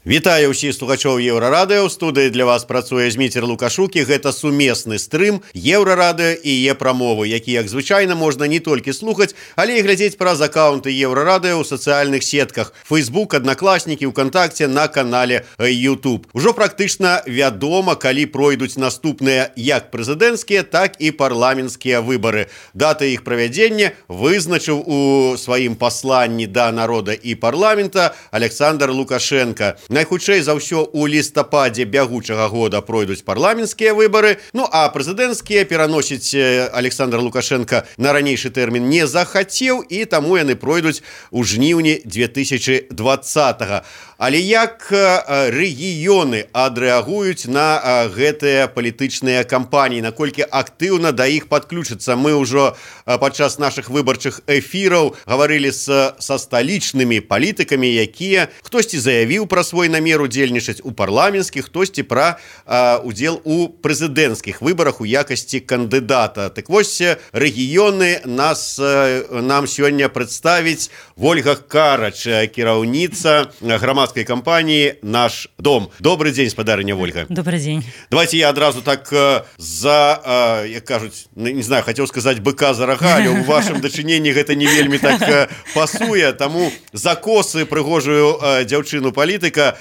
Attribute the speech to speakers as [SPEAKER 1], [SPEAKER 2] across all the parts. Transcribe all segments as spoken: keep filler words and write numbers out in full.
[SPEAKER 1] Вітаю ўсіх слухачоў Еўрарадыё. У студыі для вас працуе Зміцер Лукашук, і гэта сумесны стрым Еўрарадыё і Е-прамовы, які, як звычайна, можна не толькі слухаць, але і глядзець праз акаунты Еўрарадыё ў сацыяльных сетках Facebook, Аднакласнікі, УКонтакце, на канале YouTube. Ужо практычна вядома, калі пройдуць наступныя як прэзідэнцкія, так і парламенцкія выбары. Дата іх правядзення вызначыў у сваім пасланні да народа і парламента Александр Лукашенко. Найхутчэй за ўсё у лістападзе бягучага года пройдуць парламенцкія выбары, ну а прэзідэнцкія пераносіць Александр Лукашенко на ранейшы тэрмін не захацеў, і таму яны пройдуць у жніўні две тысячи двадцатага. Але як рэгіёны адрэагуюць на гэтыя палітычныя кампаніі, наколькі актыўна да іх падключыцца? Мы ўжо падчас нашых выбарчых эфіраў гаварылі з, са сталічнымі палітыкамі, якія хтосьці заявіў пра свой намер удзельнічаць у парламенцкіх, хтосьці пра а, удзел у прэзідэнцкіх выбарах у якасці кандыдата. Так вось, рэгіёны нас нам сёння прадставіць Вольга Карач, кіраўніца грамадскай кампаніі «Наш дом». Добрый дзень, спадарыня Вольга.
[SPEAKER 2] Добрый дзень.
[SPEAKER 1] Давайте я адразу так за, як кажуць, не знаю, хацеў сказаць быка за рага, але ў вашым дачыненні гэта не вельмі так пасуе, таму закосы прыгожую дзяўчыну палітыка.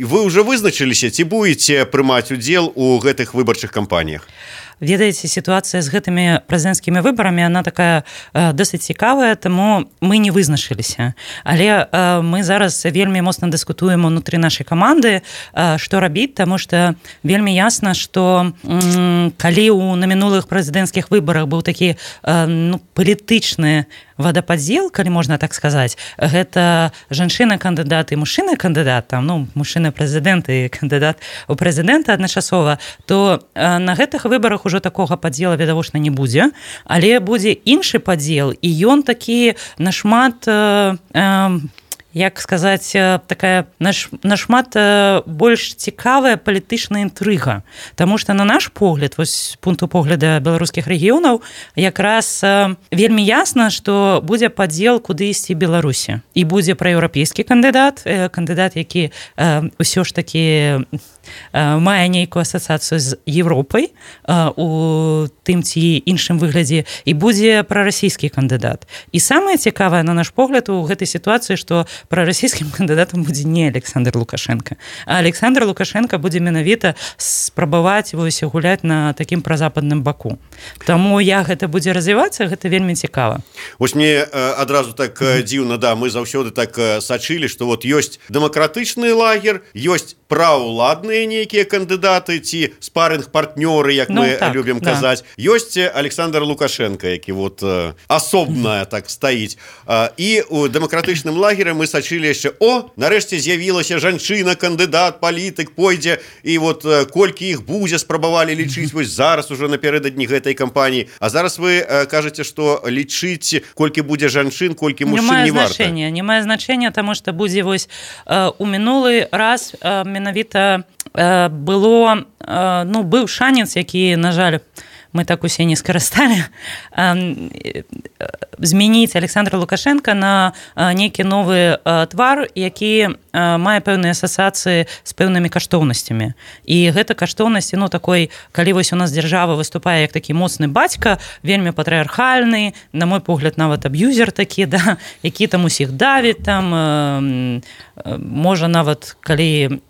[SPEAKER 1] Вы ўжо вызначыліся, ці будзеце прымаць удзел у гэтых выбарчых кампаніях?
[SPEAKER 2] Ведаеце, сітуацыя з гэтымі прэзідэнцкімі выбарамі, она такая э, досыць цікавая, таму мы не вызначыліся. Але э, мы зараз вельмі моцна дыскутуем унутры нашай каманды, э, што рабіць, таму што вельмі ясна, што м, калі ў на мінулых прэзідэнцкіх выбарах быў такі э, ну, палітычны водопадзел, калі можна так сказаць, гэта жанчына-кандыдат і мужчына-кандыдат, там, ну, мужчына-прэзідэнт і кандыдат у прэзідэнта адначасова, то э, на гэтых выбарах ужо такога падзела відавочна не будзе, але будзе іншы падзел, і ён такі нашмат э, э, як сказаць, такая наш, нашмат больш цікавая палітычная інтрыга. Таму што, на наш погляд, вось з пункту погляда беларускіх рэгіёнаў, якраз вельмі ясна, што будзе падзел, куды ісці Беларусі. І будзе праеўрапейскі кандыдат, кандыдат, які ўсё ж такі мае нейкую асацыяцыю з Европай у тым ці іншым выглядзе, і будзе прарасійскі кандыдат. І самае цікавае, на наш погляд, у гэтай сітуацыі, што прарасійскім кандыдатам будзе не Александр Лукашенко, а Александр Лукашенко будзе менавіта спрабаваць вось гуляць на такім празападным баку. Таму як гэта будзе развівацца, гэта вельмі цікава.
[SPEAKER 1] Вось мне адразу так дзіўна, да, мы заўсёды так сачылі, што вот ёсць дэмакратычны лагер, ёсць праўладныя нейкія кандыдаты ці спарринг-партнёры, як ну, мы так, любім да. казаць. Ёсць Александр Лукашенко, які вот асобная так стаіць. І у дэмакратычным лагеры мы сачылі яшчэ, о, нарэшце з'явілася жанчына, кандыдат, палітык, пойдзе, і вот колькі іх будзе, спрабавалі лічыць вось зараз уже напярэдадні гэтай кампаніі. А зараз вы кажаце, што лічыць, колькі будзе жанчын, колькі мужчын не варта.
[SPEAKER 2] Не мае значэння, таму што будзе вось у мінулы раз менавіта было, ну, быў шанец, які, на жаль, мы так усе не скарысталі, змяніць Александра Лукашенко на нейкі новы твар, які мае пэўныя асацыяцыі з пэўнымі каштоўнасцямі. І гэта каштоўнасці, ну, такой, калі вось у нас дзяржава выступае як такі моцны бацька, вельмі патрыархальны, на мой погляд, нават аб'юзер такі, да, які там усіх давіць, там, можа нават, калі,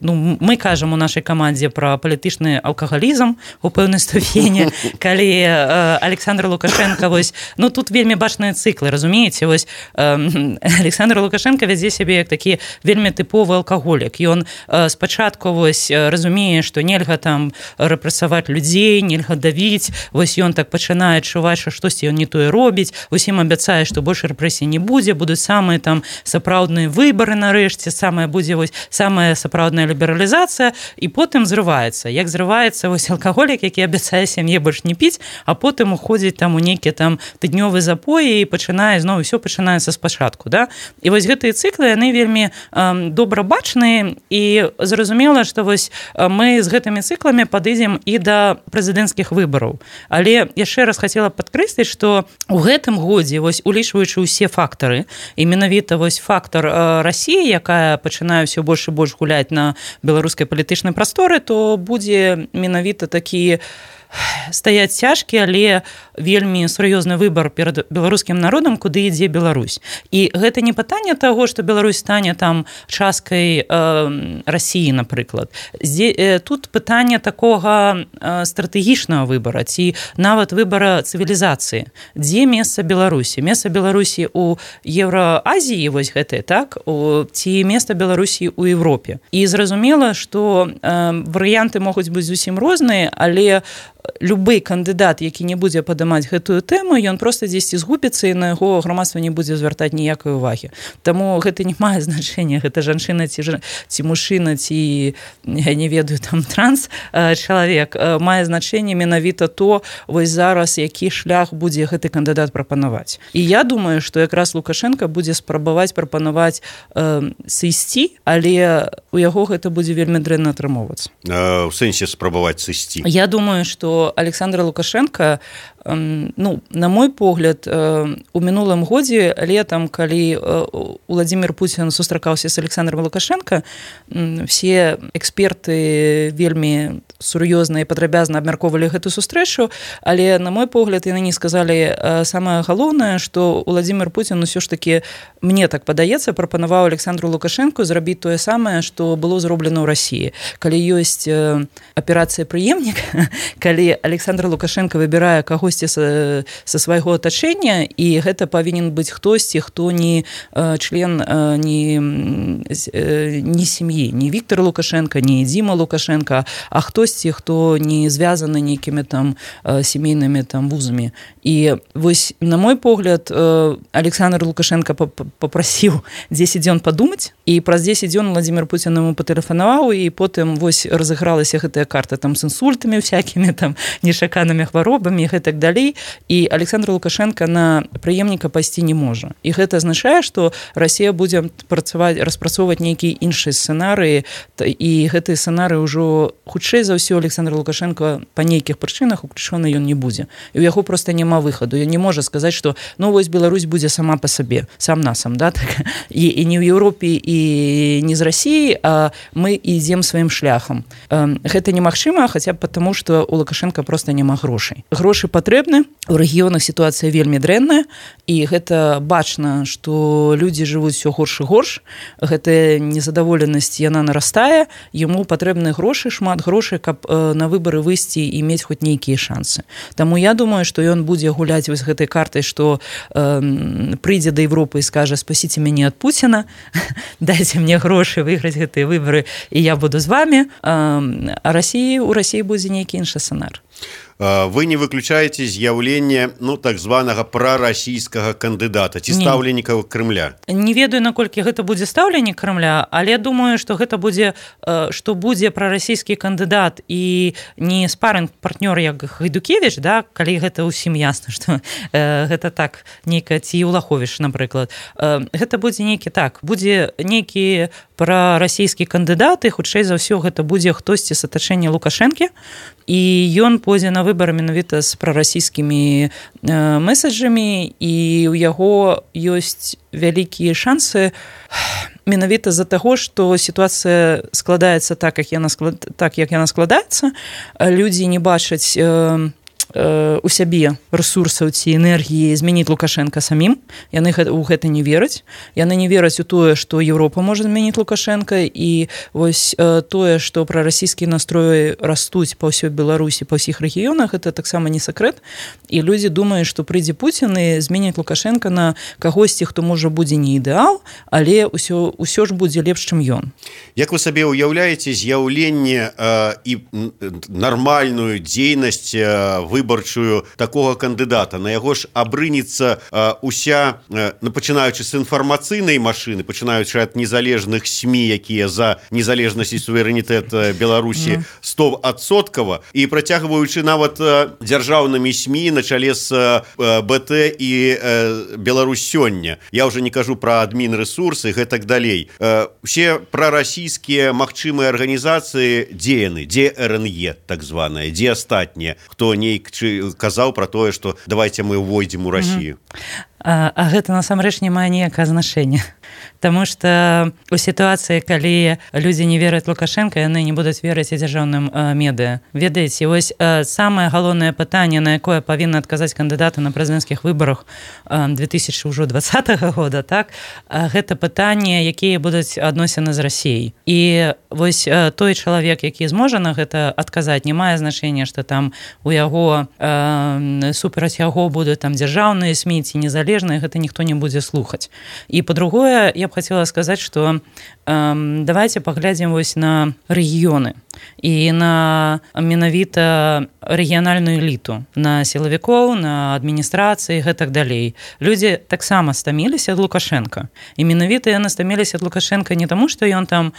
[SPEAKER 2] ну, мы кажам у нашай камандзе пра палітычны алкагалізм у пэўнай ступені, калі э, Александр Лукашенко, вось, ну, тут вельмі бачныя цыклы, разумееце, вось, э, Александр Лукашенко вядзе сябе як такі вельмі тыповы алкаголік. Ён э, спачатку, вось, разумее, што нельга там рэпрэсаваць людзей, нельга давіць, вось ён так пачынае адчуваць, што штосьці ён не тое робіць, усім абяцае, што больш рэпрэсій не будзе, будуць самыя там сапраўдныя выбары нарэшце, самая будзе вось самая сапраўдная лібералізацыя, і потым зрываецца. Як зрываецца вось алкаголік, які абяцае сям'е больш не піць, а потым уходзіць там у нейкія там тыднёвы запоі і пачынае зноў усё пачынаецца спачатку, да? І вось гэтыя цыклы, яны вельмі э, добра бачныя, і зразумела, што вось мы з гэтымі цыкламі падыдзем і да прэзідэнцкіх выбараў. Але яшчэ раз хацела падкрэсліць, што ў гэтым годзе, вось улічваючы ўсе фактары, і менавіта вось фактар э, Расіі, якая пачынае ўсё больш і больш гуляць на беларускай палітычнай прасторы, то будзе менавіта такі стаяць цяжкі, але вельмі сур'ёзны выбар перад беларускім народам, куды ідзе Беларусь. І гэта не пытанне таго, што Беларусь стане там часткай э, Расіі, напрыклад. Зде, э, тут пытанне такога э, стратэгічнага выбара, ці нават выбара цывілізацыі. Дзе месца Беларусі? Месца Беларусі ў Еўраазіі, вось гэтае, так? У, ці месца Беларусі ў Европе. І зразумела, што э, варыянты могуць быць зусім розныя, але любы кандыдат, які не будзе падымаць гэтую тэму, ён проста дзесьці згубіцца, і на яго грамадства не будзе звяртаць ніякай увагі. Таму гэта не мае значэння, гэта жанчына ці, ці мужчына, ці, я не ведаю, там транс чалавек. Мае значэнне менавіта то, вось зараз які шлях будзе гэты кандыдат прапанаваць. І я думаю, што якраз Лукашенко будзе спрабаваць прапанаваць э, сысці, але у яго гэта будзе вельмі дрэнна атрымоўвацца.
[SPEAKER 1] Э, у сэнсе спрабаваць сысці?
[SPEAKER 2] Я думаю, што Александр Лукашенко, ну, на мой погляд, у мінулым годзе летам, калі Владимир Путин сустракаўся з Александром Лукашенко, все эксперты вельмі сур'ёзна і падрабязна абмяркоўвалі гэту сустрэчу, але, на мой погляд, яны не сказалі самае галоўнае, што Владимир Путин усё ж такі, мне так падаецца, прапанаваў Александру Лукашенко зрабіць тое самае, што было зроблена ў Расіі. Калі ёсць аперацыя «Прыемнік», калі Александр Лукашенко выбірае кагосьці са, са свайго атачэння, і гэта павінен быць хтосьці, хто не член не, не сям'і, не Віктор Лукашенко, не Дзіма Лукашенко, а хтосьці, хто не звязаны нейкімі там сямейнымі там вузамі. І вось, на мой погляд, Александр Лукашенко папрасіў дзесяць дзён падумаць, і праз дзесяць дзён Владимир Путин яму патэлефанаваў, і потым вось разыгралася гэтая карта там з інсультамі всякімі, там нечаканымі хваробамі і гэтак далей, і Александр Лукашенко на прыемніка пайсці не можа. І гэта азначае, што Расія будзе працаваць, распрацоўваць нейкія іншыя сцэнарыі, і гэтыя сцэнарыі ўжо хутчэй за ўсё Александр Лукашенко па нейкіх прычынах уключаны ён не будзе. І ў яго проста няма выхаду. Ён не можа сказаць, што ну вось Беларусь будзе сама па сабе, сам насам, да, так? І, і не ў Еўропе, і не з Расіі, а мы ідзем сваім шляхам. Гэта немагчыма, хаця б потому, што у Лукашенко просто няма грошай. Грошы патрэбны, у рэгіёнах сітуацыя вельмі дрэнная, і гэта бачна, што людзі жывуць усё горш і горш, гэтая незадаволенасць, яна нарастае, яму патрэбны грошы, шмат грошай, каб на выбары выйсці і мець хоць нейкія шансы. Таму я думаю, што ён будзе гуляць вось гэтай картай, што э, прыйдзе да Европы і скажа: спасіце мяне ад Пуціна, дайце мне грошы выйграць гэтыя выбары, і я буду з вами. А Расіі, у Расіі будзе нейкі іншы сцэнар.
[SPEAKER 1] Вы не выключаеце з'яўленне, ну, так званага прарасійскага кандыдата ці стаўленніка Крымля?
[SPEAKER 2] Не ведаю, наколькі гэта будзе стаўленнік Крымля, але думаю, што гэта будзе, што будзе прарасійскі кандыдат і не спарынг-партнёр як Гайдукевіч, да, калі гэта ўсім ясна, што э, гэта так нейка, ці Улаховіч, напрыклад. Э, гэта будзе нейкі так, будзе нейкі прарасійскі кандыдат, і хутчэй за ўсё гэта будзе хтосьці з атачэння Лукашэнкі, і ён пойдзе на выбары менавіта з прарасійскімі э, месаджамі, і ў яго ёсць вялікія шансы менавіта з-за таго, што сітуацыя складаецца так, як яна, склад... так, як яна складаецца, людзі не бачаць э, у сябе рэсурсаў ці энергіі змяніць Лукашенка самім. Яны ў гэта не вераць. Яны не вераць у тое, што Еўропа можа змяніць Лукашенка, і вось тое, што прарасійскія настроі растуць па ўсёй Беларусі, па ўсіх рэгіёнах, гэта таксама не сакрэт. І людзі думаюць, што прыйдзе Пуцін і зменіць Лукашенка на кагосьці, хто можа будзе не ідэал, але ўсё, ўсё ж будзе лепш, чым ён.
[SPEAKER 1] Як вы сабе ўяўляеце з'яўленне э, і нармальную дзейнасць э, вы выбарчую такога кандыдата, на яго ж абрынецца уся, пачынаючы з інфармацыйнай машыны, пачынаючы ад незалежных СМІ, якія за незалежнасць і суверэнітэт Беларусі стовадсоткава, і працягваючы нават дзяржаўнымі СМІ на чале з БТ і Беларусь сёння. Я ўжо не кажу пра адмінрэсурсы, гэтак далей. Усе прарасійскія магчымыя арганізацыі, дзе яны, дзе РНЕ так званая, дзе астатнія, хто нейк казаў пра тое, што давайте мы ўвойдзем у Расію.
[SPEAKER 2] А, а гэта насамрэч не мае ніякае значэння. Таму што у сітуацыі, калі людзі не вераць Лукашенко, яны не будуць верыць і дзяржаўным э, медыа. Ведаеце, вось э, самае галоўнае пытанне, на якое павінны адказаць кандыдаты на прэзідэнцкіх выбарах э, две тысячи двадцатага года, так, э, гэта пытанне, якія будуць адносіны з Расіяй. І вось э, той чалавек, які зможа на гэта адказаць, не мае значэння, што там у яго э, супраць яго будуць там дзяржаўныя СМІ ці незалежныя, гэта ніхто не будзе слухаць. І па-другое, я б хотела сказаць, што э, давайте паглядзім вось на рэгіёны і на менавіта рэгіянальную эліту, на сілавікоў, на адміністрацыі, гэтак далей. Людзі таксама стаміліся ад Лукашенка. І менавіта яны стаміліся ад Лукашенка не таму, што ён там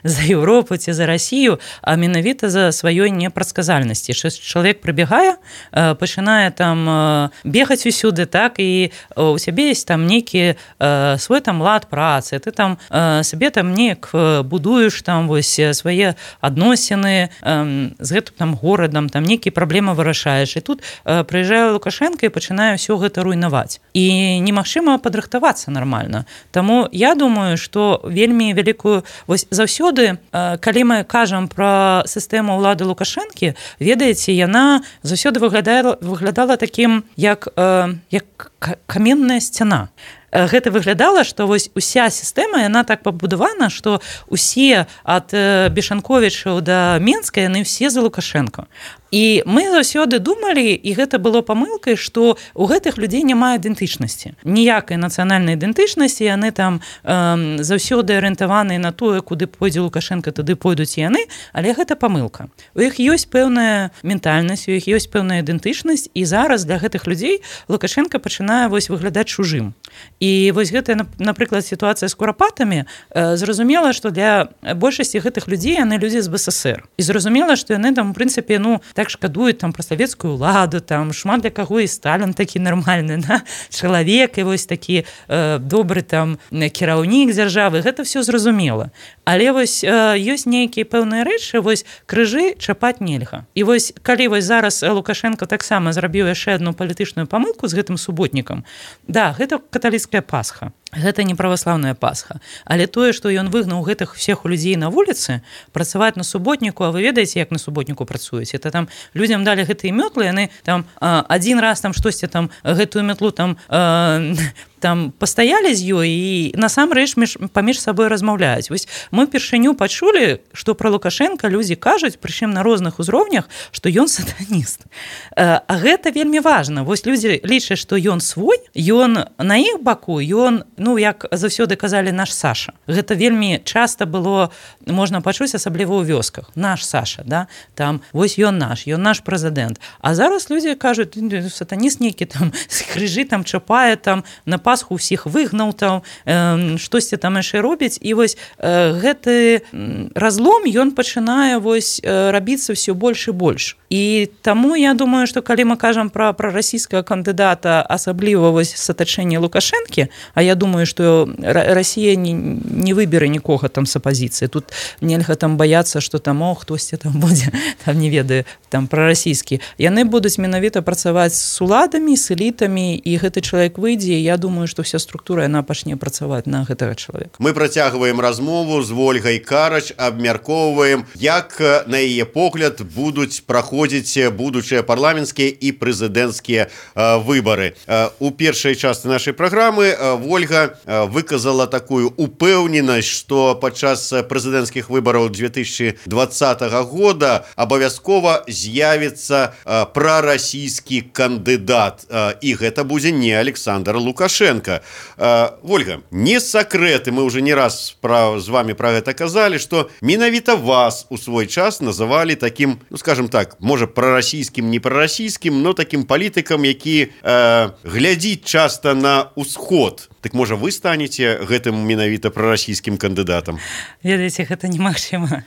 [SPEAKER 2] за Еўропу ці за Расію, а менавіта за сваёй непрадказальнасці. Што чалавек прыбегае, э, пачынае там э, бегаць усюды, так, і у сябе ёсць там нейкі э, свой там лад працы, ты там э, сабе там неяк будуеш там вось свае адносіны э, з гэтым там горадам, там нейкія праблемы вырашаеш. І тут э, прыязджае Лукашенко і пачынае ўсё гэта руйнаваць. І немагчыма падрыхтавацца нармальна. Таму я думаю, што вельмі вялікую... Вось заўсёды, э, калі мы кажам пра сістэму ўлады Лукашэнкі, ведаеце, яна заўсёды выглядала, выглядала такім, як, э, як каменная сцяна. Гэта выглядала, што вось уся сістэма, яна так пабудавана, што усе ад Бешанковічаў да Менска, яны ўсе за Лукашенко. І мы заўсёды думалі, і гэта было памылкай, што у гэтых людзей няма ідэнтычнасці. Ніякай нацыянальнай ідэнтычнасці, яны там э, заўсёды арыентаваныя на тое, куды пойдзе Лукашенко, туды пойдуць яны, але гэта памылка. У іх ёсць пэўная ментальнасць, у іх ёсць пэўная ідэнтычнасць, і зараз для гэтых людзей Лукашенко пачынае вось выглядаць чужым. І вось гэта, напрыклад, сітуацыя з курапатамі, э, зразумела, што для большасці гэтых людзей яны людзі з БССР. І зразумела, што яны там, у прынцыпе, ну, так шкадуюць там пра савецкую ўладу, там шмат для каго і Сталін такі нармальны, да? Чалавек, і вось такі э, добры там кіраўнік дзяржавы, гэта все зразумела. Але вось э, ёсць нейкія пэўныя рэчы, вось крыжы чапаць нельга. І вось калі вось зараз Лукашенко таксама зрабіў яшчэ адну палітычную памылку з гэтым суботнікам, да, гэта каталіцкая Пасха. Гэта не праваслаўная Пасха. Але тое, што ён выгнаў гэтых всех людзей на вуліцы, працаваць на суботніку, а вы ведаеце, як на суботніку працуюць. Это там людзям далі гэтыя мётлы, яны там адзін раз там штосьці там гэтую мятлу там э, там пастаялі з ёй і насамрэч паміж сабой размаўляюць. Вось мы першыню пачулі, што пра Лукашенка людзі кажуць, прычым на розных узроўнях, што ён сатаніст. А гэта вельмі важна. Вось людзі лічаць, што ён свой, ён на іх баку, ён, ну, як заўсёды казалі, наш Саша. Гэта вельмі часта было, можна пачуць, асабліва ў вёсках. Наш Саша, да? Там, вось ён наш, ён наш прэзідэнт. А зараз людзі кажуць, сатаніст нейкі там з крыжы там чапае, там на Пасху ўсіх выгнаў, там э, штосьці там яшчэ робіць. І вось э, гэты разлом, ён пачынае вось э, рабіцца ўсё больш і больш. І таму я думаю, што калі мы кажам пра, пра расійскага кандыдата, асабліва вось сатачэнне Лукашэнкі, а я думаю, што Расія не, не выберэ нікога там з апазіцыі. Тут нельга там баяцца, што там, о, хтосьці там будзе, там не ведаю, там прарасійскі. Яны будуць менавіта працаваць з уладамі, з элітамі, і гэты чалавек выйдзе, і я думаю, што вся структура, яна пачне працаваць на гэтага чалавека.
[SPEAKER 1] Мы працягваем размову з Вольгай Карач, абмяркоўваем, як на яе погляд будуць праходзіць будучыя парламенцкія і прэзідэнцкія выбары. У першай частцы нашай праграмы Вольга выказала такую упэўненасць, што падчас прэзідэнцкіх выбараў две тысячи двадцатага года абавязкова з'явіцца прарасійскі кандыдат, і гэта будзе не Александр Лукашенко. Лукашенко. Ольга, не секрет, и мы уже не раз про, с вами про это казали, что менавіта вас у свой час называли таким, ну скажем так, может пророссийским, не пророссийским, но таким политиком, які э, глядит часто на усход. Так можа вы станете гэтым менавіта пророссийским кандыдатам?
[SPEAKER 2] Ведаеце, гэта немагчыма.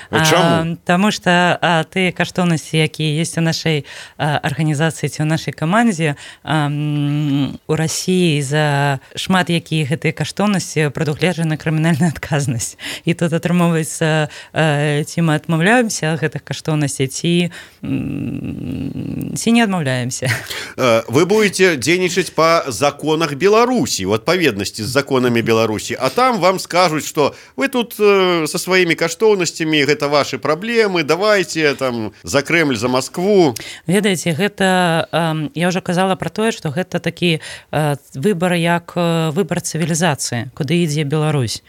[SPEAKER 1] Чаму?
[SPEAKER 2] Таму што тыя каштоўнасці, якія ёсць у нашай арганізацыі ці ў нашай камандзе, у Расіі за шмат якія гэтыя каштоўнасці прадугледжана крымінальная адказнасць. І тут атрымоўваецца, ці мы адмаўляемся ад гэтых каштоўнасцей, ці ці не адмаўляемся.
[SPEAKER 1] Вы будете дзейнічаць па законах Беларусі, у адпаведнасці з законамі Беларусі, а там вам скажуць, што вы тут э, со сваімі каштоўнасцямі, гэта ваши праблемы, давайте там за Кремль, за Москву.
[SPEAKER 2] Ведаеце, гэта, э, я ўжо казала пра тое, што гэта такі э, выбар як выбар цывілізацыі, куды ідзе Беларусь.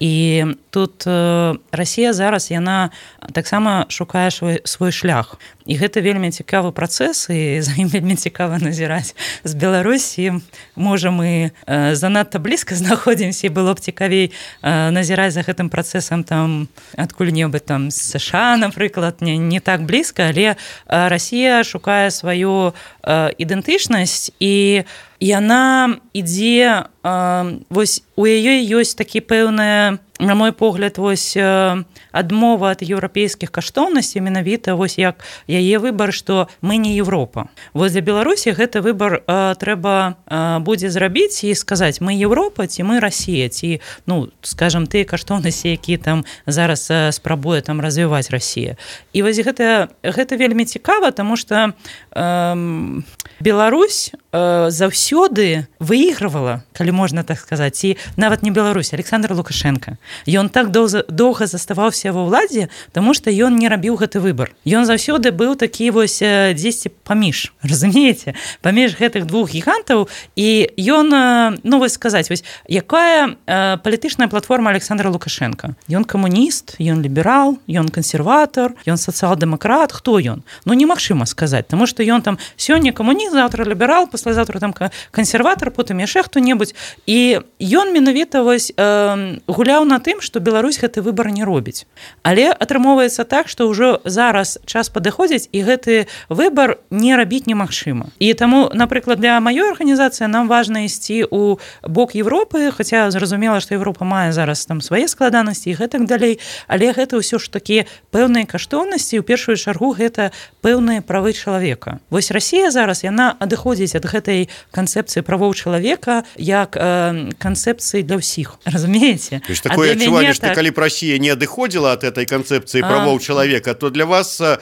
[SPEAKER 2] І тут э, Расія зараз, яна таксама шукае свой, свой шлях. І гэта вельмі цікавы працэс, і за ім вельмі цікава назіраць з Беларусі. Можа, мы э, занадта блізка знаходзімся, і было б цікавей э, назіраць за гэтым працэсам там адкуль-небудзь там з США, напрыклад, не, не так блізка, але э, Расія шукае сваю э, ідэнтычнасць, і яна ідзе, э, вось у яе ёсць такі пэўная, на мой погляд, вось адмова ад еўрапейскіх каштоўнасцей, менавіта вось як яе выбар, што мы не Еўропа. Вось для Беларусі гэты выбар э, трэба э, будзе зрабіць і сказаць, мы Еўропа ці мы Расія, ці, ну, скажам, тыя каштоўнасці, якія там зараз э, спрабуе там развіваць Расія. І вось гэта, гэта вельмі цікава, таму што э, Беларусь э, заўсёды выйгрывала, калі можна так сказаць, ці нават не Беларусь, Александр Лукашенко. Ён так доўга заставаўся ва ўладзе, таму што ён не рабіў гэты выбар. Ён заўсёды быў такі вось дзесьці паміж, разумееце, паміж гэтых двух гігантаў, і ён, ну вось сказаць, вось якая э, палітычная платформа Александра Лукашенко? Ён камуніст, ён ліберал, ён кансерватар, ён сацыял-дэмакрат, хто ён? Ну немагчыма сказаць, таму што ён там сёння камуніст, заўтра ліберал, паслязаўтра там кансерватар, потым яшчэ хто-небудзь, і ён менавіта вось э, гуляў на тым, што Беларусь гэты выбар не робіць. Але атрымоўваецца так, што ўжо зараз час падыходзіць, і гэты выбар не рабіць немагчыма. І таму, напрыклад, для маёй арганізацыі нам важна ісці ў бок Европы, хаця зразумела, што Европа мае зараз там свае складанасці і гэтак далей, але гэта ўсё ж такі пэўныя каштоўнасці, у першую чаргу гэта пэўныя правы чалавека. Вось Расія зараз, яна адыходзіць ад гэтай канцэпцыі правоў чалавека як э, канцэпцыі для ўсіх. Разумееце?
[SPEAKER 1] То есть такое адчуванне, што так... калі б Расія не адыходзіла ад этой канцэпцыі правоў а... чалавека, то для вас э,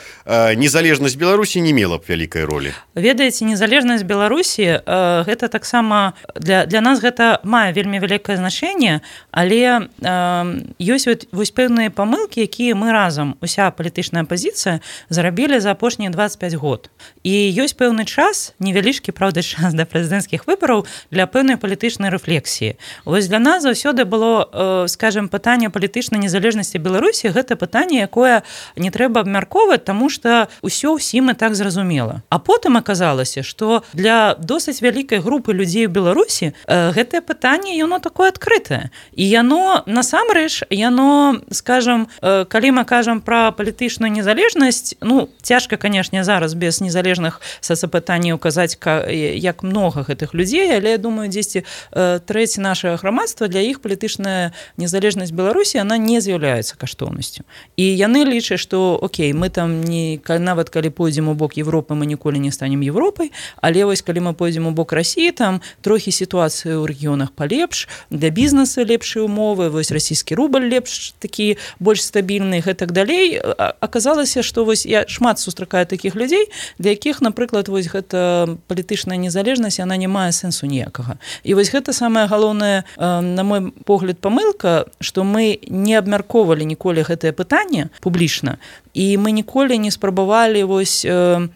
[SPEAKER 1] незалежнасць Беларусі не мела б вялікай ролі.
[SPEAKER 2] Ведаеце, незалежнасць Беларусі э, гэта таксама для, для нас гэта мае вельмі вялікае значэнне, але э, ёсць вот, вось пэўныя памылкі, якія мы разам, уся палітычная апазіцыя, зарабілі за апошнія дваццаць пяць год. І ёсць пэўны час, невялічкі, правда, час да прэзідэнцкіх выбараў для пэўнай палітычнай рэфлексіі. Вось для нас заўсёды было, э, скажем, пытанне палітычнай незалежнасці Беларусі, гэта пытанне, якое не трэба абмяркоўваць, таму што ўсё ўсім і так зразумела. А потым аказалася, што для досыць вялікай групы людзей у Беларусі э, гэтае пытанне, яно такое адкрытае. І яно, насамрэч, яно, скажем, э, калі мы кажам пра палітычную незалежнасць, ну, цяжка, канешне, зараз без незалежных сацыпытанняў казаць, як многа гэтых людзей, але, я думаю, дзесьці э, трэці нашага грамадства, для іх палітычная незалежнасць Беларусі, она не з'яўляецца каштоўнасцю. І яны лічаць, што, окей, мы там не, нават калі пойдзем у бок Европы, мы ніколі не станем Европай, але вось калі мы пойдзем у бок Расіі, там трохі сітуацыя ў рэгіёнах палепш, для бізнеса лепшыя умовы, вось расійскі рубль лепш, такі больш стабільны, гэтак далей. Аказалася, што вось я шмат сустракаю такіх людзей, для якіх, напрыклад, вось гэта палітычная незалежнасць, яна не мае сэнсу ніякага. І вось гэта самая галоўная, на мой погляд, памылка,
[SPEAKER 3] што мы не абмяркоўвалі ніколі гэтае пытанне публічна, і мы ніколі не спрабавалі вось э,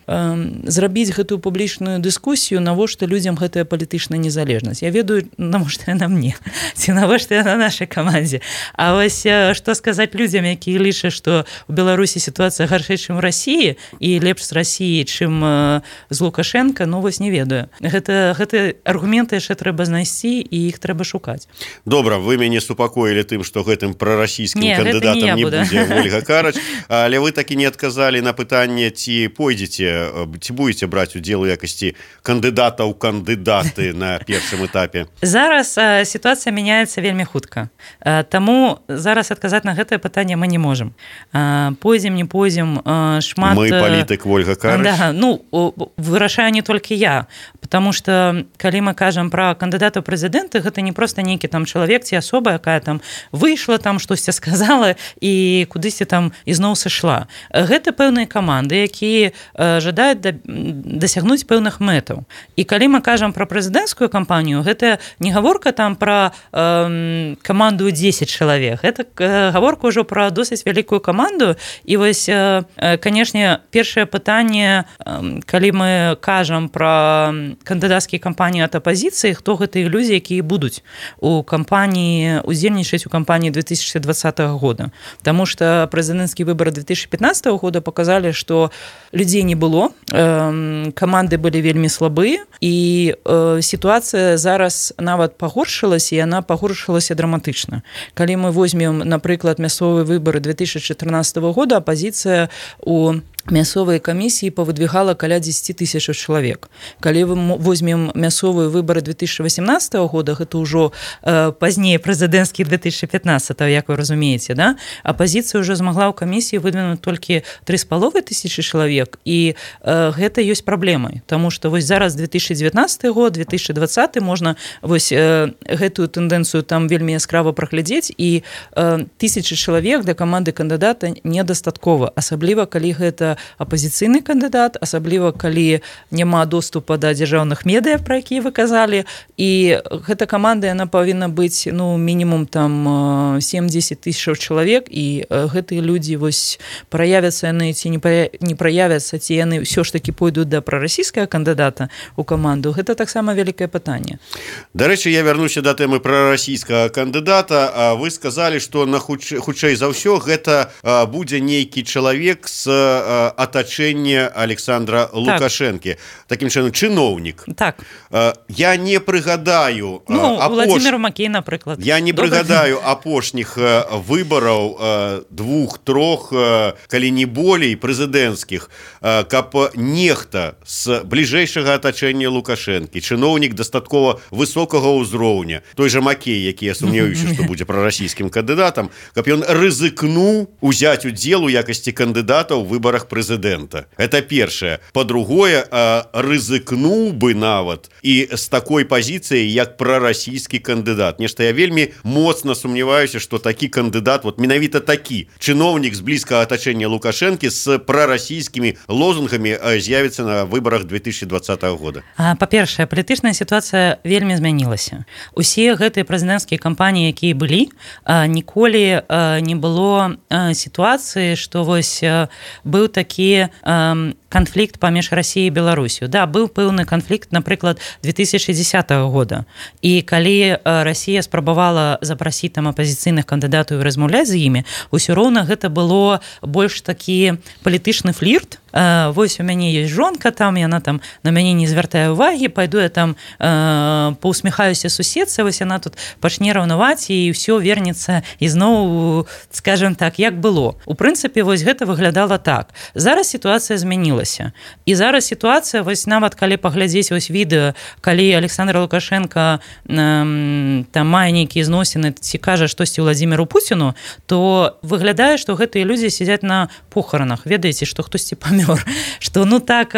[SPEAKER 3] э, зрабіць гэтую публічную дыскусію, навошта людзям гэтая палітычная незалежнасць. Я ведаю, навошта яна мне, ці навошта яна нашай камандзе. А вось што сказаць людзям, якія лічаць, што ў Беларусі сітуацыя гаршэй, чым у Расіі, і лепш з Расіі, чым э, з Лукашенка, ну вось не ведаю. Гэта, гэта аргументы яшчэ трэба знайсці, і іх трэба шукаць.
[SPEAKER 1] Добра, вы мяне супакоілі тым, што гэтым прарасійскім
[SPEAKER 3] не,
[SPEAKER 1] кандыдатам
[SPEAKER 3] не,
[SPEAKER 1] не
[SPEAKER 3] буду.
[SPEAKER 1] будзе Ольга Карач, але вы такі не адказалі на пытанне, ці пойдзеце, ці будзеце браць удзел у якасці кандыдата ў кандыдаты на першым этапе.
[SPEAKER 2] Зараз э, сітуацыя мяняецца вельмі хутка. Э, таму зараз адказаць на гэтае пытанне мы не можам. Э, пойдзем, не пойдзем, э, шмат...
[SPEAKER 1] Мы палітык Ольга Карач.
[SPEAKER 2] Да, ну, вырашаю не толькі я, потому что калі мы кажам пра кандыдата ў прэзідэнты, гэта не проста нейкі там чалавек ці асоба, якая там выйшла, там штосьці сказала і кудысьці там ізноў сышла. Гэта пэўныя каманды, якія э, жадаюць да, дасягнуць пэўных мэтаў. І калі мы кажам пра прэзідэнцкую кампанію, гэта не гаворка там пра э, каманду дзесяць чалавек, гэта э, гаворка ўжо пра досыць вялікую каманду. І вось, э, канешне, першае пытанне, э, калі мы кажам пра кандыдацкія кампаніі ад апазіцыі, хто гэтыя ілюзіі, якія будуць у кампаніі, удзельнічаць у кампаніі две тысячи двадцатого года. Таму што прэзідэнцкія выбары две тысячи пятнадцатого года показалі, што людзей не было, э, каманды былі вельмі слабыя, і э, сітуацыя зараз нават пагоршылася, і яна пагоршылася драматычна. Калі мы возьмем, напрыклад, мясцовыя выбары две тысячи чатырнаццатого года, апазіцыя у мясцовыя камісіі павыдвигала каля дзесяць тысяч чалавек. Калі мы возьмем мясцовыя выбары две тысячи восемнадцатого года, гэта ўжо э, пазней прэзідэнцкі две тысячи пятнадцатого, як вы разумееце, да? Апазіцыя ўжо змагла ў камісіі выдвинуць толькі тры з паловай тысячы чалавек, і э, гэта ёсць праблемай, таму што вось зараз две тысячи девятнадцатый год, две тысячи двадцатый можна вось э, гэтую тэндэнцыю там вельмі яскрава праглядзець, і э, тысячы чалавек для каманды кандыдата недастаткова, асабліва калі гэта апазіцыйны кандыдат, асабліва калі няма доступа да дзяржаўных медыа, пра якія вы казалі, і гэта каманда, яна павінна быць, ну, мінімум там сем-дзесяць тысяч чалавек, і гэтыя людзі вось праявяцца яны ці не праявяцца, ці яны ўсё ж такі пойдуць да прарасійскага кандыдата ў каманду, гэта таксама вялікае пытанне.
[SPEAKER 1] Дарэчы, я вярнуся да тэмы прарасійскага кандыдата. Вы сказалі, што на хутчэй, хутчэй за ўсё гэта будзе нейкі чалавек з атачэнне Александра Лукашэнкі. Так. Такім чынам, чыноўнік.
[SPEAKER 2] Так.
[SPEAKER 1] Я не прыгадаю...
[SPEAKER 2] Ну,
[SPEAKER 1] апош...
[SPEAKER 2] Владимир Макей, напрыклад.
[SPEAKER 1] Я не Добрый. прыгадаю апошніх выбараў двух-трох, калі не болей, прэзідэнцкіх, каб нехта з бліжэйшага атачэння Лукашэнкі, чыноўнік дастаткова высокага ўзроўня, той жа Макей, які я сумняваюся, што будзе прарасійскім кандыдатам, каб ён рызыкнуў узяць удзел у якасці кандыдата ў выбарах прэзідэнта. Это першае. Па-другое, рызыкнуў бы нават і з такой пазіцыяй, як прарасійскі кандыдат. Нешта я вельмі моцна сумняваюся, што такі кандыдат, вот менавіта такі чыноўнік з блізкага атачэння Лукашэнкі з прарасійскімі лозунгамі з'явіцца на выбарах две тысячи двадцатого года.
[SPEAKER 2] Па-першае, палітычная сітуацыя вельмі змянілася. Усе гэтыя прэзідэнцкія кампаніі, якія былі, ніколі не было сітуацыі, што вось быў такі э, канфлікт паміж Расіяй і Беларусью. Да, быў пэўны канфлікт, напрыклад, две тысячи десятого года. І калі Расія спрабавала запрасіць там апазіцыйных кандыдатаў і размаўляць з імі, усё роўна гэта было больш такі палітычны флірт. Э, вось у мяне ёсць жонка там, яна там на мяне не звяртае ўвагі, пайду я там э, паўсміхаюся суседцы, вось яна тут пачне раўнаваць, і ўсё вернецца ізноў, скажем так, як было. У прынцыпе, вось гэта выглядала так. Зараз сітуацыя змянілася. І зараз сітуацыя, вось нават калі паглядзець вось відэа, калі Александр Лукашенко э, там мае нейкія зносіны, ці кажа штосьці Владимиру Путіну, то выглядае, што гэтыя людзі сядзяць на похоронах. Ведаеце, што хтосьці памёр. Што, ну так,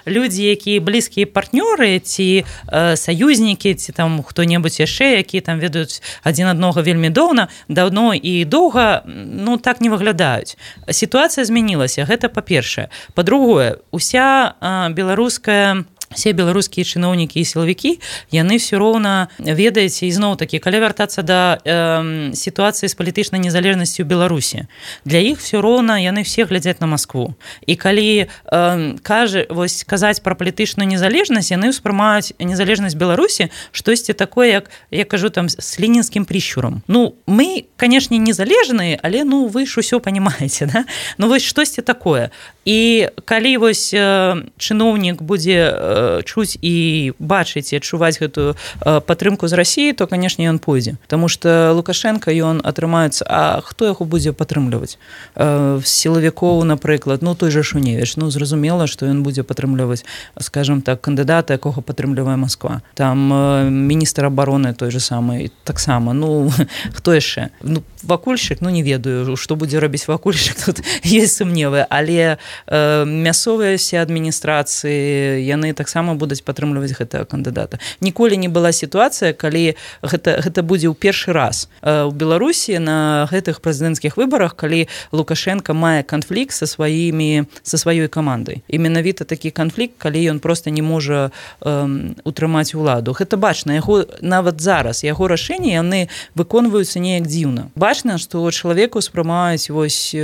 [SPEAKER 2] людзі, якія блізкія партнёры, ці э, саюзнікі, ці там хто-небудзь яшчэ, якія там ведаюць адзін аднога вельмі доўна, даўно і доўга, ну так не выглядаюць. Сітуацыя змянілася, гэта па-першае. Па-другое, уся э, беларуская все беларускія чыноўнікі і сілавікі, яны ўсё роўна, ведаеце, ізноў-такі, калі вяртацца да э, сітуацыі з палітычнай незалежнасцю ў Беларусі, для іх ўсё роўна яны все глядзяць на Маскву. І калі э, кажа, вось, казаць пра палітычную незалежнасць, яны ўспрымаюць незалежнасць Беларусі штосьці такое, як, я кажу, там, с ленінскім прищурам. Ну, мы, канешне, незалежныя, але, ну, вы ж усё панімаеце, да? Ну, вось штосьці такое. І калі вось э, чыноўнік будзе э, чуць і бачыць і адчуваць гэтую падтрымку з Расіі, то, канешне, ён пойдзе. Таму што Лукашенко, ён атрымаецца, а хто яго будзе падтрымліваць? Сілавікоў, напрыклад, ну, той же Шуневіч, ну, зразумела, што ён будзе падтрымліваць, скажем так, кандыдата, якога падтрымлівае Масква. Там міністр абароны той же самы, таксама, ну, хто яшчэ? Ну, вакульшчык, ну, не ведаю, што будзе рабіць вакульшчык, тут ёсць сумневы, але э, мясцовыя все адміністрацыі, яны таксама будуць падтрымліваць гэтага кандыдата. Ніколі не была сітуацыя, калі гэта, гэта будзе ў першы раз ў Беларусі на гэтых прэзідэнцкіх выбарах, калі Лукашенко мае канфлікт са сваімі, са сваёй камандай. І менавіта такі канфлікт, калі ён проста не можа э, утрымаць уладу. Гэта бачна, яго нават зараз, яго рашэнні, яны выконваюцца неяк дзіўна. Бачна, што чалавеку ўспрымаюць, вось,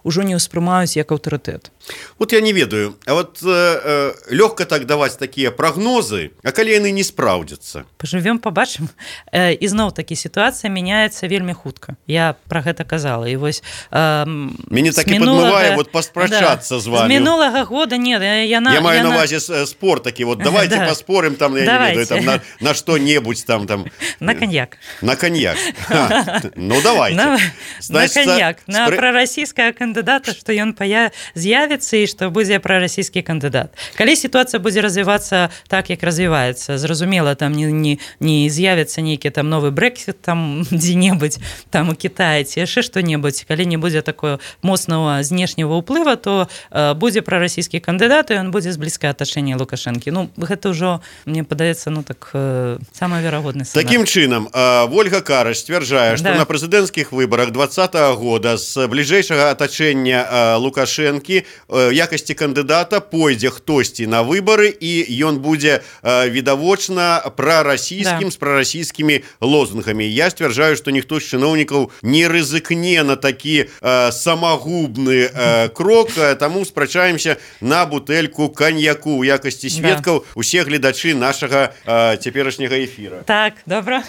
[SPEAKER 2] ужо не ўспрымаюць як аўтарытэт.
[SPEAKER 1] Вот я не ведаю, а вот э, э, лёгка так даваць такія прагнозы, а калі яны не спраўдзяцца?
[SPEAKER 2] Пажывём, пабачым. Э, і зноў-такі сітуацыя мяняецца вельмі хутка. Я пра гэта казала. І вось, э,
[SPEAKER 1] мяне так і падмывае вот паспрачацца да, з вами.
[SPEAKER 2] З мінулага года, не, яна...
[SPEAKER 1] Я маю
[SPEAKER 2] яна...
[SPEAKER 1] на увазе спор такі, вот давайте да. паспорым там, я давайте. не ведаю, там, на, на што-небудзь там, там...
[SPEAKER 2] На коньяк.
[SPEAKER 1] На коньяк. Ха, ну, давайте.
[SPEAKER 2] На,
[SPEAKER 1] Значит,
[SPEAKER 2] на коньяк.
[SPEAKER 1] спр...
[SPEAKER 2] На прарасійскага кандыдата, што ён пая... з'явіцца і што будзе прарасійскі кандыдат. Калі сітуацыя будзе развівацца так, як развіваецца, зразумела, там не, не, не з'явіцца нейкі там новы Брексит там дзе-небудзь там у Кітаі ці яшчэ што-небудзь, калі не будзе такое моцнага знешняга ўплыва, то э, будзе прарасійскі кандыдат, і ён будзе з блізкае атачэнне Лукашэнкі. Ну, гэта ўжо, мне падаецца, ну так, э, самае верагодны сцэнар.
[SPEAKER 1] Такім чынам, э, Вольга Караш сцвярджае, што
[SPEAKER 2] да.
[SPEAKER 1] на прэзідэнцкіх выбарах двадцатага года з бліжэйшага атачэння э, Лукашэнкі э, якасці кандыдата пойдзе хтосьці на выбары, і ён будзе э, відавочна прарасійскім, да. з прарасійскімі лозунгамі. Я сцвярджаю, што ніхто з чыноўнікаў не рызыкне на такі э, самагубны э, крок, э, таму спрачаемся на бутэльку каньяку у якасці сведкаў, да. усе гледачы нашага э, цяперашняга эфіра.
[SPEAKER 2] Так, добра.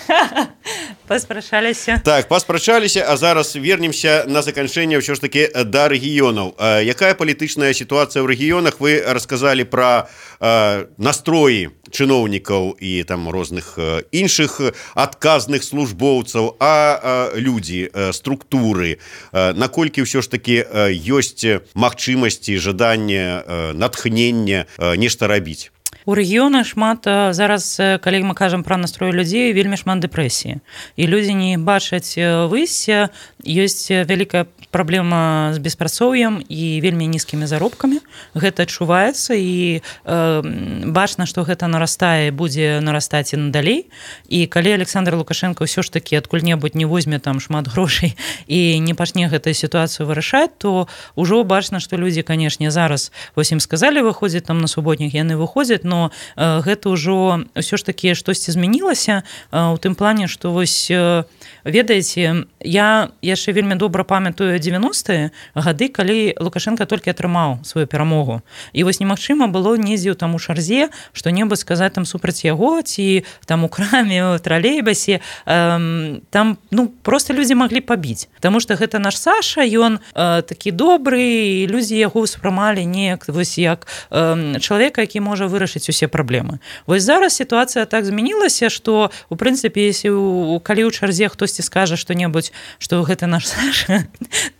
[SPEAKER 2] Паспрачаліся.
[SPEAKER 1] Так, паспрачаліся, а зараз вернемся на заканчэнне ўсё ж такі да рэгіёнаў. Э, якая палітычная сітуацыя ў рэгіёнах? Вы расказалі пра э, настроі чыноўнікаў і там розных э, іншых адказных службоўцаў, а э, людзі, э, структуры, э, наколькі ўсё ж такі э, ёсць магчымасці, жаданне, э, натхнення э, нешта рабіць?
[SPEAKER 2] У рэгіёнах шмат, зараз, калі мы кажам пра настрой людзей, вельмі шмат дэпрэсіі. І людзі не бачаць выйсця, ёсць вялікая праблема з беспрацоўем і вельмі нізкімі заробкамі. Гэта адчуваецца, і э, бачна, што гэта нарастае, будзе нарастаць і надалей. І калі Александр Лукашенко ўсё ж такі адкуль-небудзь не возьме там шмат грошай і не пачне гэтую сітуацыю вырашаць, то ўжо бачна, што людзі, канешне, зараз, вось ім сказалі выходзіць там на суботнік, яны выходзяць, но э, гэта ўжо ўсё ж такі штосьці змянілася э, у тым плане, што вось э, ведаеце, я яшчэ вельмі добра памятаю дзевяностыя гады, калі Лукашенко толькі атрымаў сваю перамогу. І вось немагчыма было недзе ў там у Шарзе што-небудзь сказаць там супраць яго, ці там у краме, у тралейбусе. Э, там, ну, проста людзі маглі пабіць. Таму што гэта наш Саша, ён э, такі добры, і людзі яго ўспрымалі неяк вось як э, чалавека, які можа вырашыць усе праблемы. Вось зараз сітуацыя так змянілася, што, у прынцыпе, если, калі ў Чарзе хтосьці скажа што-небудзь, што гэта наш Саша,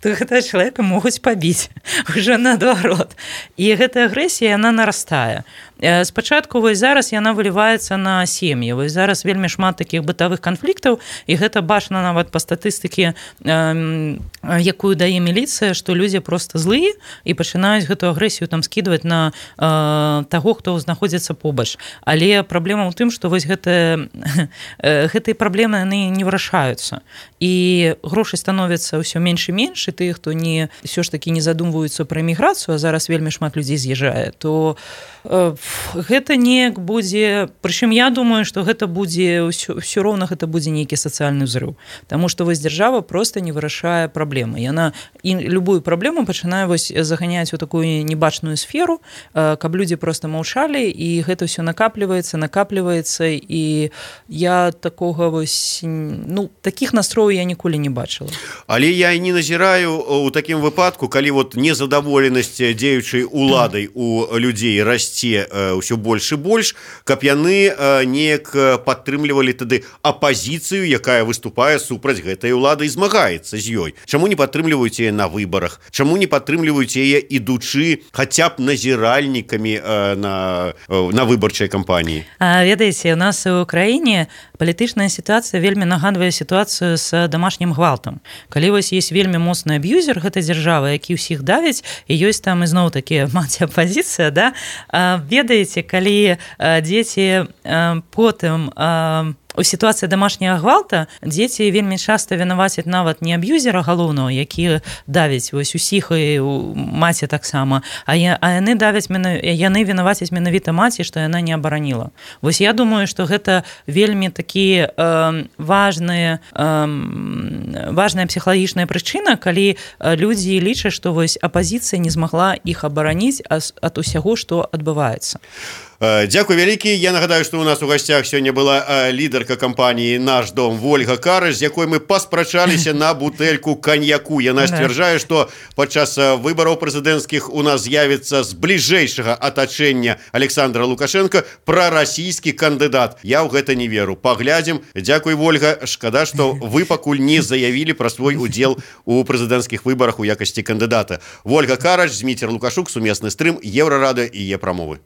[SPEAKER 2] то гэта чалавека могуць пабіць уже наадварот. І гэтая агрэсія, яна нарастае. Спачатку вось зараз яна выліваецца на сем'і. Вось зараз вельмі шмат такіх бытавых канфліктаў, і гэта бачна нават па статыстыкі, якую дае міліцыя, што людзі проста злыя і пачынаюць гэту агрэсію там скідваць на э, таго, хто знаходзіцца побач. Але праблема ў тым, што вось гэтыя гэтыя праблемы яны не вырашаюцца. І грошай становіцца ўсё менш і менш, і тых, хто не ўсё ж такі не задумваюцца пра эміграцыю, а зараз вельмі шмат людзей з'язджае, то э,
[SPEAKER 3] гэта неяк будзе, прычым я думаю, што гэта будзе ўсё, ўсё роўна гэта будзе нейкі сацыяльны ўзрыў, таму што вось дзяржава проста не вырашае праблемы. Яна і любую праблему пачынае вось заганяць у такую небачную сферу, каб людзі проста маўчалі, і гэта ўсё накапліваецца, накапліваецца, і я такога вось, ну, такіх настрояў я ніколі не бачыла.
[SPEAKER 1] Але я і не назіраю у такім выпадку, калі вот незадаволенасць дзеючай уладай у людзей расце ўсё больш і больш, каб яны неяк падтрымлівалі тады апазіцыю, якая выступае супраць гэтай улады і змагаецца з ёй. Чаму не падтрымліваюць яе на выбарах? Чаму не падтрымліваюць яе ідучы хаця б назіральнікамі на, на выбарчай кампаніі?
[SPEAKER 2] А, ведаеце, у нас у краіне палітычная сітуацыя вельмі нагадвае сітуацыю з дамашнім гвалтам. Калі вось есть вельмі моцны аб'юзер гэтай дзяржавы, які ўсіх давіць, і ёсць там ізноў такі маці апазіцыя, да? А, ведаеце, калі а, дзеці а, потым а, у сітуацыі дамашняга гвалта дзеці вельмі часта вінавацяць нават не аб'юзера галоўнага, які давіць вось усіх, і маці таксама, а, я, а яны давяць, яны вінавацяць менавіта маці, што яна не абараніла. Вось я думаю, што гэта вельмі такі э, важная, э, важная псіхалагічная прычына, калі людзі лічаць, што вось апазіцыя не змагла іх абараніць ад усяго, што адбываецца.
[SPEAKER 1] Дзякуй вялікі. Я нагадаю, што у нас у гасцях сёння была лідарка кампаніі «Наш дом» Вольга Карыч, з якой мы паспрачаліся на бутэльку каньяку. Яна сцвярджае, што падчас выбараў прэзідэнцкіх у нас з'явіцца з бліжэйшага атачэння Александра Лукашенка прарасійскі кандыдат. Я ў гэта не веру. Паглядзім. Дзякуй, Вольга. Шкада, што вы пакуль не заявілі пра свой удзел у прэзідэнцкіх выбарах у якасці кандыдата. Вольга Карыч, Зміцер Лукашук, сумесны стрым, Еўрарадыё і Е-прамовы.